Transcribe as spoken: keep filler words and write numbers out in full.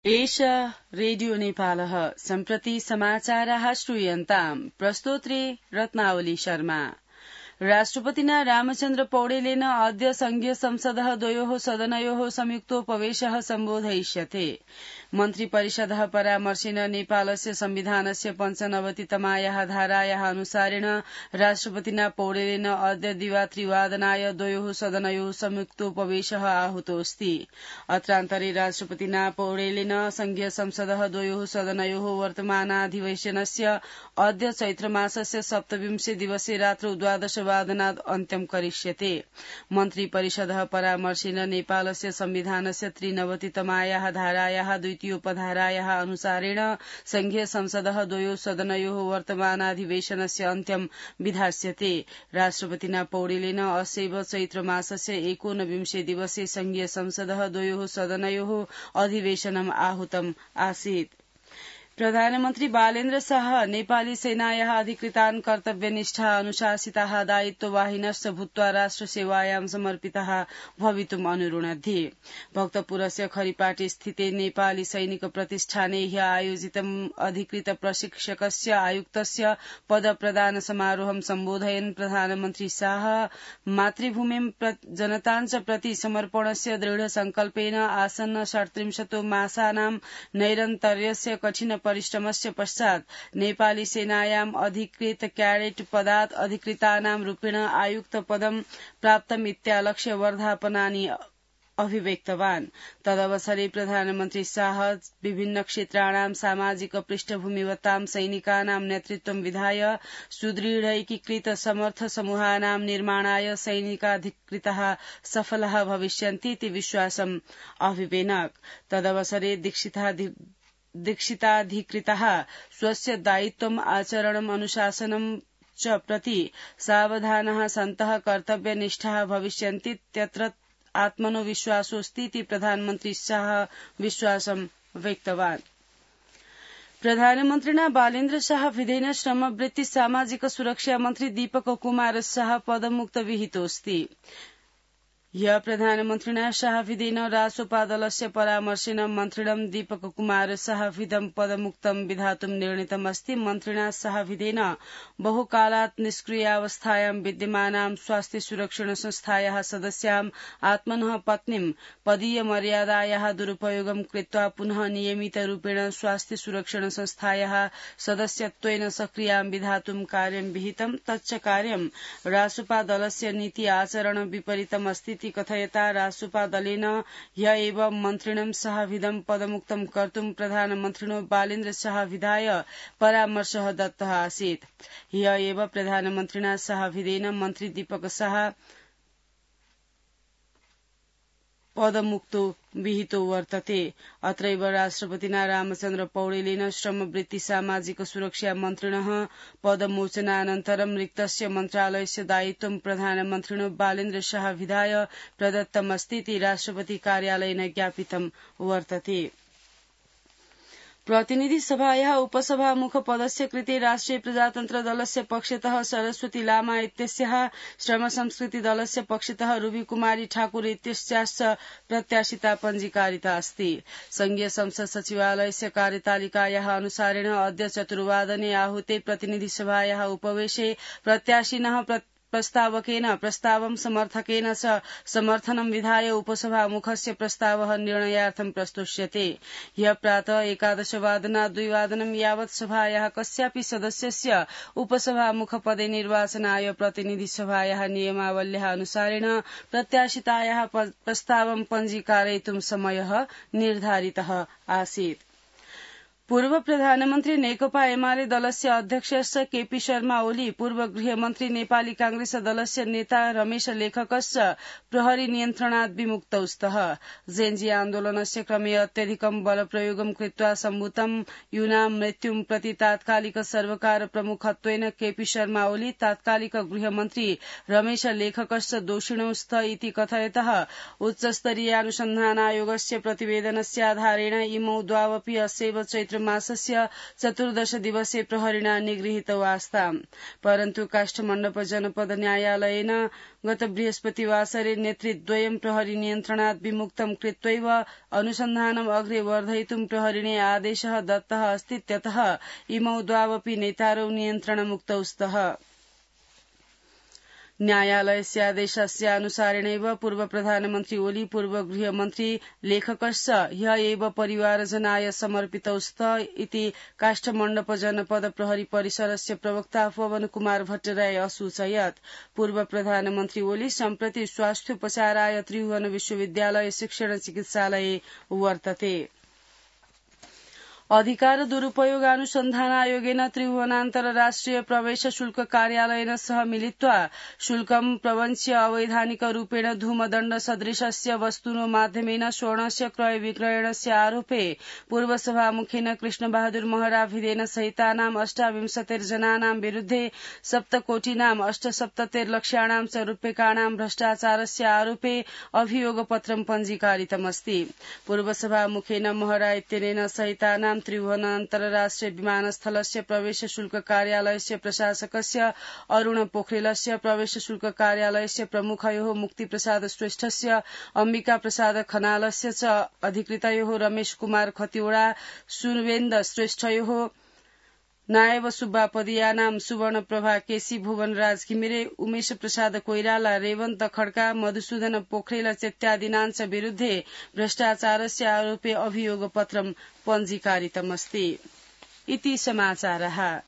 एषा रेडियो नेपालः सम्प्रति समाचाराः श्रूयन्ताम् प्रस्तोत्रे रत्नावली शर्मा। राष्ट्रपतिना रामचन्द्र पौडेलेन अद्य संघीय संसदः द्वयोः सदनयोः संयुक्तोपवेशः सम्बोधयिष्यते। मन्त्री परिषदः परामर्शेन नेपालस्य संविधानस्य पञ्चनवतितमायाः धारायाः अनुसारेण राष्ट्रपतिना पौडेलेन अद्य दिवात्रिवादनाय द्वयोः सदनयोः संयुक्तोपवेशः आहूतोऽस्ति। अत्रान्तरे राष्ट्रपतिना पौडेलेन संघीय संसदः द्वयोः सदनयोः वर्तमानाधिवेशनस्य अद्य चैत्रमासस्य सप्तविंशे दिवसे रात्रौ द्वादश वादनात् अन्त्यं करिष्यते। मन्त्री परिषदः परामर्शेन नेपालस्य संविधानस्य त्रिनवतितमायाः धारायाः द्वितीयोपधारायाः अनुसारेण संघीय संसदः द्वयोः सदनयोः वर्तमानाधिवेशनस्य अन्त्यं विधास्यते। राष्ट्रपतिना पौडेलेन अस्यैव चैत्रमासस्य एकोनविंशे दिवसे संघीय संसदः द्वयोः सदनयोः अधिवेशनम् आहूतम् आसीत्। प्रधानमन्त्री बालेन्द्र शाह नेपाली सेनायाः अधिकृतान् कर्तव्यनिष्ठा अनुशासिताः दायित्ववाहिनश्च भूत्वा राष्ट्रसेवायां समर्पिताः भवितुम् अनुरुणद्धि। भक्तपुरस्य खरिपाटी स्थिते नेपाली सैनिक प्रतिष्ठाने ह्य आयोजितम् अधिकृत प्रशिक्षकस्य आयुक्तस्य पदप्रदान समारोहं सम्बोधयन् प्रधानमन्त्री शाह मातृभूमिं जनतां च प्रति समर्पणस्य दृढ संकल्पेन आसन्न षट्त्रिंशतो मासानां नैरन्तर्यस्य कठिन परिश्रमस्य पश्चात् नेपाली सेनायाम् अधिकृत क्याडेट पदात् अधिकृतानां रूपेण आयुक्त पदं प्राप्तमित्यालक्ष्य वर्धापनानि अभिव्यक्तवान्। तदवसरे प्रधानमन्त्री शाह विभिन्न क्षेत्राणां सामाजिक पृष्ठभूमिवतां सैनिकानां नेतृत्वं विधाय सुदृढैकीकृत समर्थ समूहानां निर्माणाय सैनिकाधिकृताः सफलाः भविष्यन्तीति विश्वासम् अभिवेनक। तदवसरे दीक्षिताधि दीक्षिताधिकृताः स्वस्य दायित्वम् आचरणम् अनुशासनम् च प्रति सावधानाः सन्तः कर्तव्यनिष्ठाः भविष्यन्तीत्यत्र आत्मनो विश्वासोऽस्तीति प्रधानमन्त्री शाह विश्वासं व्यक्तवान्। प्रधानमन्त्रिणा बालेन्द्र शाह विधेन श्रमवृत्ति सामाजिक सुरक्षा मन्त्री दीपक कुमार शाह पदमुक्त विहितोऽस्ति। ह्य प्रधानमन्त्रिणा शाहविधेन रासोपा दलस्य परामर्शेन मन्त्रिणं दीपक कुमार शाहविधं पदमुक्तं विधातुं निर्णीतमस्ति। मन्त्रिणा शाहविधेन बहुकालात् निष्क्रियावस्थायां विद्यमानां स्वास्थ्य सुरक्षण संस्थायाः सदस्यां आत्मनः पत्नीं पदीय मर्यादायाः दुरुपयोगं कृत्वा पुनः नियमितरूपेण स्वास्थ्य सुरक्षण संस्थायाः सदस्यत्वेन सक्रियां विधातुं कार्यं विहितं। तच्च कार्यं रासोपा दलस्य नीति आचरण विपरीतमस्ति कथयता रासोपा दलेन ह्य एव मन्त्रिणं शाहविधं पदमुक्तं कर्तुं प्रधानमन्त्रिणो बालेन्द्र शाहविधाय परामर्शः दत्तः आसीत्। ह्य एव प्रधानमन्त्रिणा शाहविधेन मन्त्री दीपक शाह पदमुक्तो विहितो वर्तते। अत्रैव राष्ट्रपतिना रामचन्द्र पौडेलेन श्रमवृत्ति सामाजिक सुरक्षा मन्त्रिणः पदमोचनानन्तरं रिक्तस्य मन्त्रालयस्य दायित्वं प्रधानमन्त्रिणो बालेन्द्र शाहविधाय प्रदत्तमस्तीति राष्ट्रपति कार्यालयेन ज्ञापितं वर्तते। प्रतिनिधि सभायाः उपसभामुख पदस्य कृते राष्ट्रिय प्रजातन्त्र दलस्य पक्षतः सरस्वती लामा इत्यस्याः श्रम संस्कृति दलस्य पक्षतः रूबी कुमारी ठाकुर इत्यस्याश्च प्रत्याशिता पञ्जीकारिता अस्ति। संघीय संसद सचिवालयस्य कार्यतालिकायाः अनुसारेण अद्य चतुर्वादने आहूते प्रतिनिधि सभायाः उपवेशे प्रत्याशिनः प्रस्तावकेन प्रस्तावं समर्थकेन च समर्थनं विधाय उपसभामुखस्य प्रस्तावः निर्णयार्थं प्रस्तुष्यते। ह्यः प्रातः एकादशवादनात् द्विवादनं यावत् सभायाः कस्यापि सदस्यस्य उपसभामुखपदे निर्वाचनाय प्रतिनिधि सभायाः नियमावल्याः अनुसारेण प्रत्याशितायाः प्रस्तावं पञ्जीकारयितुं समयः निर्धारितः आसीत्। पूर्व प्रधानमन्त्री नेकपा एमाले दलस्य अध्यक्षश्च केपी शर्मा ओली, पूर्व गृहमन्त्री नेपाली कांग्रेस दलस्य नेता रमेश लेखकश्च प्रहरी नियन्त्रणात् विमुक्तौ स्तः। जेन्जी आन्दोलनस्य क्रमे अत्यधिकं बलप्रयोगं कृत्वा सम्भूतं यूनां मृत्युं प्रति तात्कालिक सर्वकार प्रमुखत्वेन केपी शर्मा ओली, तात्कालिक गृहमन्त्री रमेश लेखकश्च दोषिणौ स्त इति कथयतः उच्चस्तरीयानुसन्धानायोगस्य प्रतिवेदनस्य आधारेण इमौ द्वावपि अस्यैव चैत्र मासस्य चतुर्दश दिवसे प्रहरिणा निगृहीतौ आस्ताम् परन्तु काष्ठमण्डप जनपद न्यायालयेन गत बृहस्पतिवासरे नेतृद्वयं प्रहरी नियन्त्रणात् विमुक्तं कृत्वैव अनुसन्धानम् अग्रे वर्धयितुं प्रहरिणे आदेशः दत्तः अस्तीत्यतः इमौ द्वावपि नेतारौ नियन्त्रणमुक्तौ स्तः। न्यायालयस्य आदेशस्यानुसारेणैव पूर्व प्रधानमन्त्री ओली पूर्व गृहमन्त्री लेखकश्च ह्य एव परिवारजनाय समर्पितौ स्त इति काष्ठमण्डप जनपद प्रहरी परिसरस्य प्रवक्ता पवन कुमार भट्टराय असूचयत्। पूर्व प्रधानमन्त्री ओली सम्प्रति स्वास्थ्योपचाराय त्रिभुवन विश्वविद्यालय शिक्षण चिकित्सालये वर्तते। अधिकार दुरुपयोगानुसन्धान आयोगेन त्रिभुवनान्तरराष्ट्रिय प्रवेश शुल्क कार्यालयेन सह मिलित्वा शुल्कं प्रवंच्य अवैधानिक रूपेण धूमदण्ड सदृशस्य वस्तुनो माध्यमेन स्वर्णस्य क्रय विक्रयणस्य आरोपे पूर्व सभामुखेन कृष्णबहादुर महराभिधेन सहितानाम् अष्टाविंशतिर्जनानां विरुद्धे सप्तकोटिनाम् अष्टसप्ततिर्लक्षाणां च रूप्यकाणां भ्रष्टाचारस्य आरोपे अभियोगपत्रं पञ्जीकारितमस्ति। पूर्व सभामुखेन महरा इत्यनेन सहितानां त्रिभुवन अन्तर्राष्ट्रिय विमानस्थलस्य प्रवेश शुल्क कार्यालयस्य प्रशासकस्य अरूण पोखरेलस्य प्रवेश शुल्क कार्यालयस्य प्रमुखयोः मुक्तिप्रसाद श्रेष्ठस्य अम्बिका प्रसाद खनालस्य च अधिकृतयोः रमेश कुमार खतिवड़ा सुवेन्द श्रेष्ठयोः नायब सुब्बा पदियानाम सुवर्ण प्रभा केसी भुवनराज घिमिरे उमेश प्रसाद कोइराला रेवन्त खड्का मधुसूदन पोखरेल इत्यादीनां विरुद्धे भ्रष्टाचारस्य आरोपे अभियोगपत्रं पञ्जीकारितमस्ति। इति समाचारः।